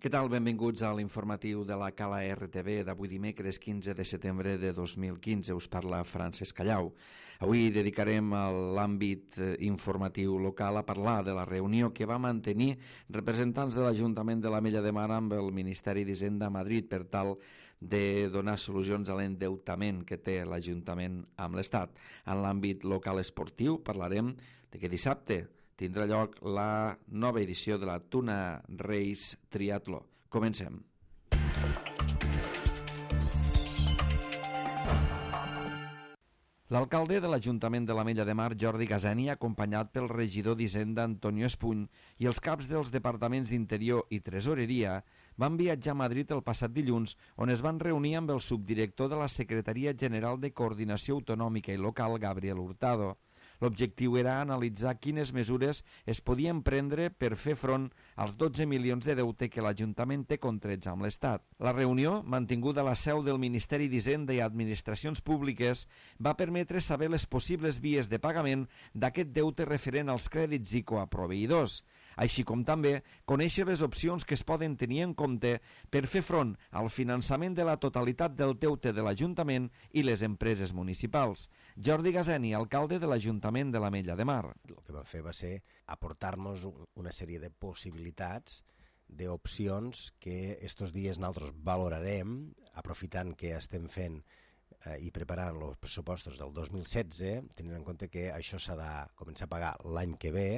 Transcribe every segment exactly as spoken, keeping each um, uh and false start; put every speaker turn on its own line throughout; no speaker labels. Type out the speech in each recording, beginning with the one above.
Què tal? Benvinguts a l'informatiu de la Cala R T V d'avui dimecres quinze de setembre de dos mil quinze. Us parla Francesc Callau. Avui dedicarem a l'àmbit informatiu local a parlar de la reunió que va mantenir representants de l'Ajuntament de l'Ametlla de Mar amb el Ministeri d'Hisenda a Madrid per tal de donar solucions a l'endeutament que té l'Ajuntament amb l'Estat. En l'àmbit local esportiu parlarem de que dissabte tindrà lloc la nova edició de la Tuna Race Triatló. Comencem. L'alcalde de l'Ajuntament de l'Ametlla de Mar, Jordi Gazeni, acompanyat pel regidor d'Hisenda, Antonio Espuny, i els caps dels departaments d'Interior i Tresoreria, van viatjar a Madrid el passat dilluns, on es van reunir amb el subdirector de la Secretaria General de Coordinació Autonòmica i Local, Gabriel Hurtado. L'objectiu era analitzar quines mesures es podien prendre per fer front als dotze milions de deute que l'Ajuntament té contrets amb l'Estat. La reunió, mantinguda a la seu del Ministeri d'Hisenda i Administracions Públiques, va permetre saber les possibles vies de pagament d'aquest deute referent als crèdits I C O a proveïdors, així com també conèixer les opcions que es poden tenir en compte per fer front al finançament de la totalitat del deute de l'Ajuntament i les empreses municipals. Jordi Gazeni, alcalde de l'Ajuntament de l'Ametlla de Mar.
El que vam fer va ser aportar-nos una sèrie de possibilitats, d'opcions que estos dies nosaltres valorarem, aprofitant que estem fent eh, i preparant els pressupostos del dos mil setze, tenint en compte que això s'ha de començar a pagar l'any que ve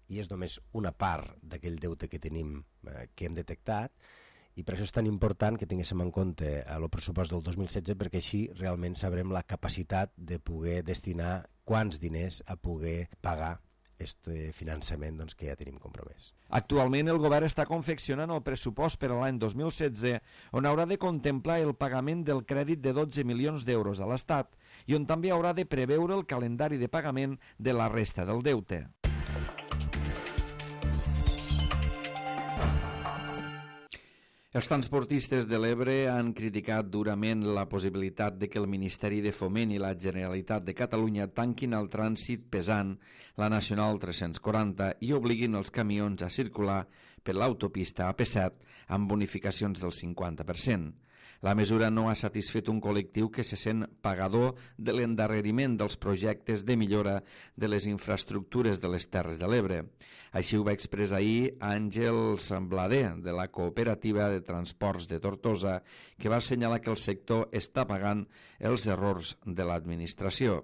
i és només una part d'aquell deute que tenim, eh, que hem detectat, i per això és tan important que tinguéssim en compte el pressupost del dos mil setze, perquè així realment sabrem la capacitat de poder destinar quants diners a poder pagar aquest finançament doncs, que ja tenim compromès.
Actualment el govern està confeccionant el pressupost per a l'any dos mil setze, on haurà de contemplar el pagament del crèdit de dotze milions d'euros a l'Estat i on també haurà de preveure el calendari de pagament de la resta del deute. Els transportistes de l'Ebre han criticat durament la possibilitat de que el Ministeri de Foment i la Generalitat de Catalunya tanquin el trànsit pesant la Nacional tres-cents quaranta i obliguin els camions a circular per l'autopista A P set amb bonificacions del cinquanta per cent. La mesura no ha satisfet un col·lectiu que se sent pagador de l'endarreriment dels projectes de millora de les infraestructures de les Terres de l'Ebre. Així ho va expressar ahir Àngels Blader, de la Cooperativa de Transports de Tortosa, que va assenyalar que el sector està pagant els errors de l'administració.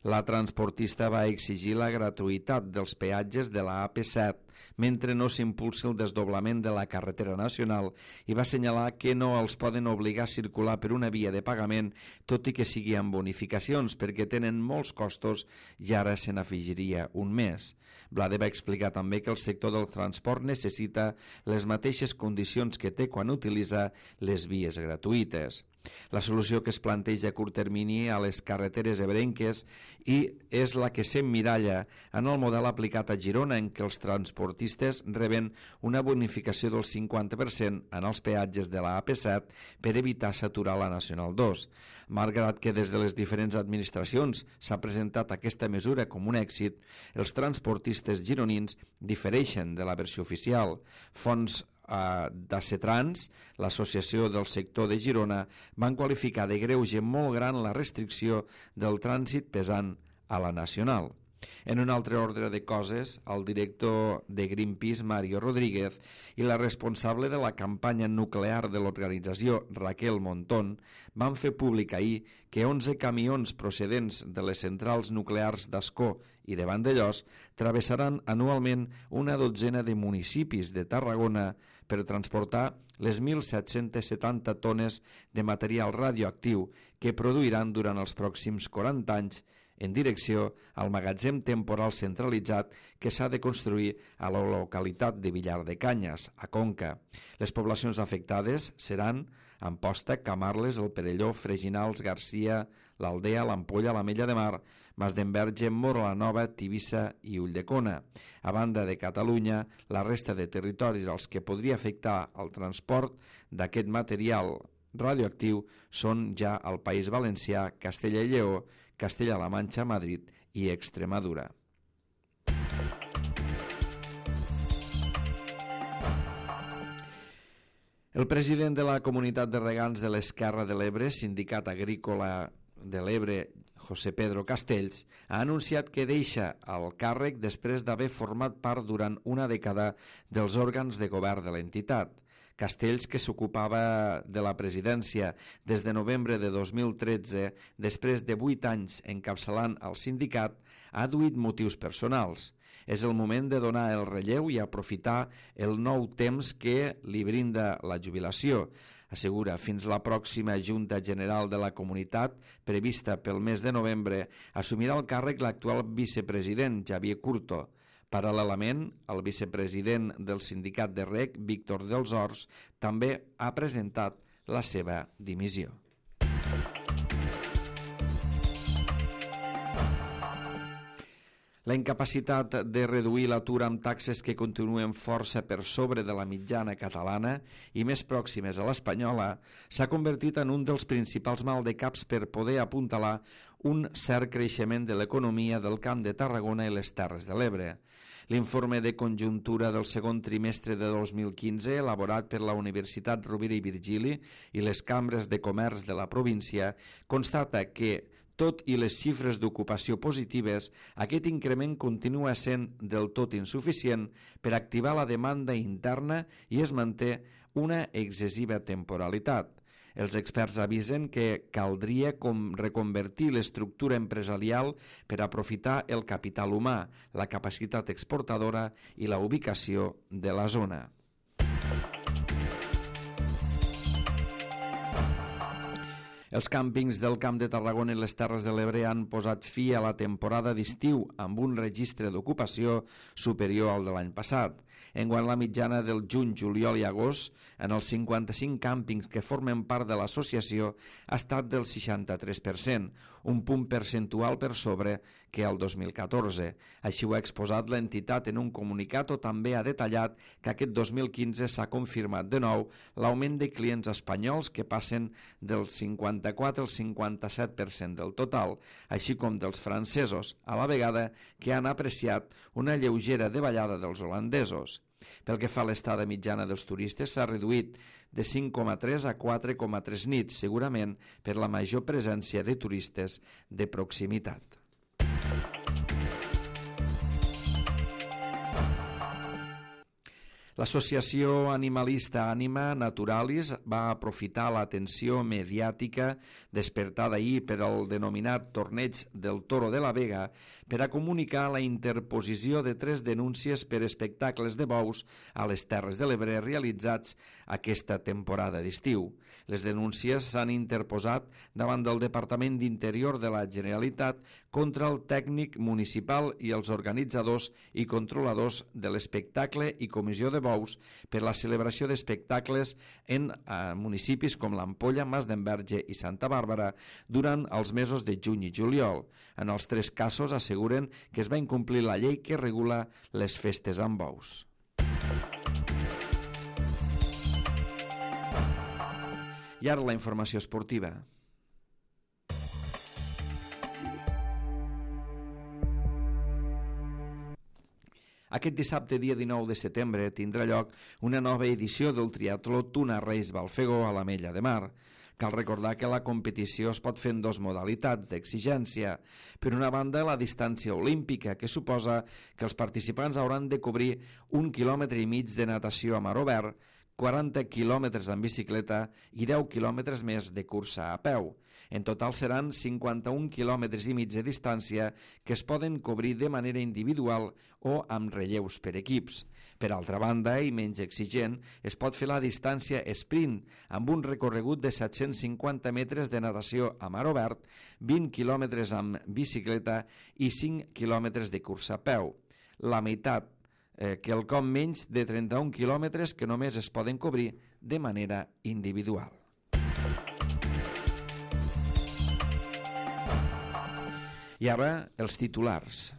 La transportista va exigir la gratuïtat dels peatges de la A P set mentre no s'impulsi el desdoblament de la carretera nacional i va assenyalar que no els poden obligar a circular per una via de pagament, tot i que sigui amb bonificacions, perquè tenen molts costos i ara se n'afegiria un més. Blade va explicar també que el sector del transport necessita les mateixes condicions que té quan utilitza les vies gratuïtes. La solució que es planteja a curt termini a les carreteres ebrenques i és la que s'emmiralla en el model aplicat a Girona, en què els transportistes reben una bonificació del cinquanta per cent en els peatges de la A P set per evitar saturar la Nacional dos. Malgrat que des de les diferents administracions s'ha presentat aquesta mesura com un èxit, els transportistes gironins difereixen de la versió oficial. Fonts d'Acetrans, l'associació del sector de Girona, van qualificar de greuge molt gran la restricció del trànsit pesant a la Nacional. En un altre ordre de coses, el director de Greenpeace, Mario Rodríguez, i la responsable de la campanya nuclear de l'organització, Raquel Montón, van fer públic ahir que onze camions procedents de les centrals nuclears d'Ascó i de Vandellòs travessaran anualment una dotzena de municipis de Tarragona per transportar les mil set-cents setanta tones de material radioactiu que produiran durant els pròxims quaranta anys en direcció al magatzem temporal centralitzat que s'ha de construir a la localitat de Villar de Canyes, a Conca. Les poblacions afectades seran Amposta, Camarles, el Perelló, Freginals, Garcia, l'Aldea, l'Ampolla, l'Ametlla de Mar, Masdenverge, Mora la Nova, Tivissa i Ulldecona. A banda de Catalunya, la resta de territoris als que podria afectar el transport d'aquest material radioactiu són ja el País Valencià, Castella i Lleó, Castella-La Manxa, Madrid i Extremadura. El president de la Comunitat de Regants de l'Esquerra de l'Ebre, Sindicat Agrícola de l'Ebre, José Pedro Castells, ha anunciat que deixa el càrrec després d'haver format part durant una dècada dels òrgans de govern de l'entitat. Castells, que s'ocupava de la presidència des de novembre de dos mil tretze, després de vuit anys encapçalant el sindicat, ha adduït motius personals. És el moment de donar el relleu i aprofitar el nou temps que li brinda la jubilació. Assegura, fins la pròxima Junta General de la Comunitat, prevista pel mes de novembre, assumirà el càrrec l'actual vicepresident, Xavier Curto. Paral·lelament, el vicepresident del sindicat de Rec, Víctor dels Horts, també ha presentat la seva dimissió. La incapacitat de reduir l'atur amb taxes que continuen força per sobre de la mitjana catalana i més pròximes a l'espanyola s'ha convertit en un dels principals maldecaps per poder apuntalar un cert creixement de l'economia del Camp de Tarragona i les Terres de l'Ebre. L'informe de conjuntura del segon trimestre de dos mil quinze, elaborat per la Universitat Rovira i Virgili i les cambres de comerç de la província, constata que, tot i les xifres d'ocupació positives, aquest increment continua sent del tot insuficient per activar la demanda interna i es manté una excessiva temporalitat. Els experts avisen que caldria com reconvertir l'estructura empresarial per aprofitar el capital humà, la capacitat exportadora i la ubicació de la zona. Els càmpings del Camp de Tarragona i les Terres de l'Ebre han posat fi a la temporada d'estiu amb un registre d'ocupació superior al de l'any passat. Enguany la mitjana del juny, juliol i agost en els cinquanta-cinc càmpings que formen part de l'associació ha estat del seixanta-tres per cent, un punt percentual per sobre que el dos mil catorze. Així ho ha exposat l'entitat en un comunicat o també ha detallat que aquest dos mil quinze s'ha confirmat de nou l'augment de clients espanyols que passen del cinquanta-quatre al cinquanta-set per cent del total, així com dels francesos, a la vegada que han apreciat una lleugera davallada dels holandesos. Pel que fa a l'estada mitjana dels turistes, s'ha reduït de cinc coma tres a quatre coma tres nits, segurament per la major presència de turistes de proximitat. L'associació animalista Anima Naturalis va aprofitar l'atenció mediàtica despertada ahir per al denominat Torneig del Toro de la Vega per a comunicar la interposició de tres denúncies per espectacles de bous a les Terres de l'Ebre realitzats aquesta temporada d'estiu. Les denúncies s'han interposat davant del Departament d'Interior de la Generalitat contra el tècnic municipal i els organitzadors i controladors de l'espectacle i comissió de bous per la celebració d'espectacles en eh, municipis com l'Ampolla, Masdenverge i Santa Bàrbara durant els mesos de juny i juliol. En els tres casos asseguren que es va incomplir la llei que regula les festes amb bous. I ara la informació esportiva. Aquest dissabte, dia dinou de setembre, tindrà lloc una nova edició del triatló Tuna Reis Balfegó a l'Ametlla de Mar. Cal recordar que la competició es pot fer en dues modalitats d'exigència. Per una banda, la distància olímpica, que suposa que els participants hauran de cobrir un quilòmetre i mig de natació a mar obert, quaranta quilòmetres en bicicleta i deu quilòmetres més de cursa a peu. En total seran cinquanta-un quilòmetres i mig de distància que es poden cobrir de manera individual o amb relleus per equips. Per altra banda, i menys exigent, es pot fer la distància sprint amb un recorregut de set-cents cinquanta metres de natació a mar obert, vint quilòmetres amb bicicleta i cinc quilòmetres de cursa a peu. La meitat, eh, quelcom menys de trenta-un quilòmetres que només es poden cobrir de manera individual. I ara, els titulars.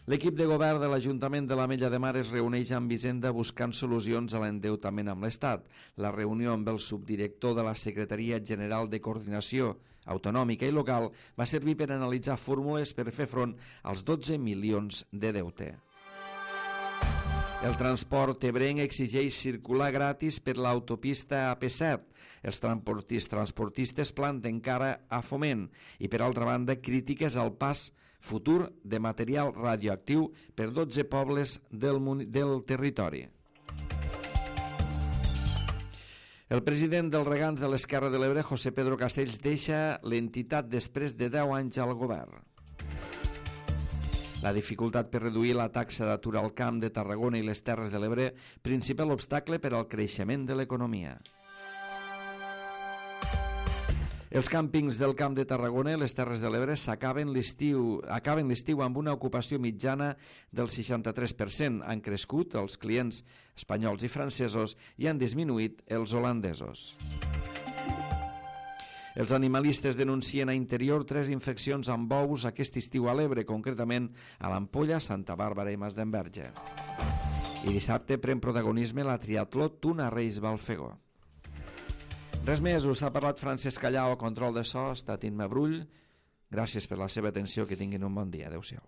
L'equip de govern de l'Ajuntament de l'Ametlla de Mar es reuneix amb Hisenda buscant solucions a l'endeutament amb l'Estat. La reunió amb el subdirector de la Secretaria General de Coordinació Autonòmica i Local va servir per analitzar fórmules per fer front als dotze milions de deute. El transport ebrenc exigeix circular gratis per l'autopista A P set. Els transportistes planten cara a Foment i, per altra banda, crítiques al pas futur de material radioactiu per dotze pobles del, del territori. El president dels Regants de l'Esquerra de l'Ebre, José Pedro Castells, deixa l'entitat després de deu anys al govern. La dificultat per reduir la taxa d'atur al Camp de Tarragona i les Terres de l'Ebre, principal obstacle per al creixement de l'economia. Els càmpings del Camp de Tarragona i les Terres de l'Ebre s'acaben l'estiu acaben l'estiu amb una ocupació mitjana del seixanta-tres per cent. Han crescut els clients espanyols i francesos i han disminuït els holandesos. Els animalistes denuncien a Interior tres infeccions amb bous aquest estiu a l'Ebre, concretament a l'Ampolla, Santa Bàrbara i Masdenverge. I dissabte pren protagonisme la triatló Tuna-Reis Balfegó. Res més, us ha parlat Francesc Callau, a control de so, ha estat Imma Brull. Gràcies per la seva atenció, que tinguin un bon dia. Adéu-siau.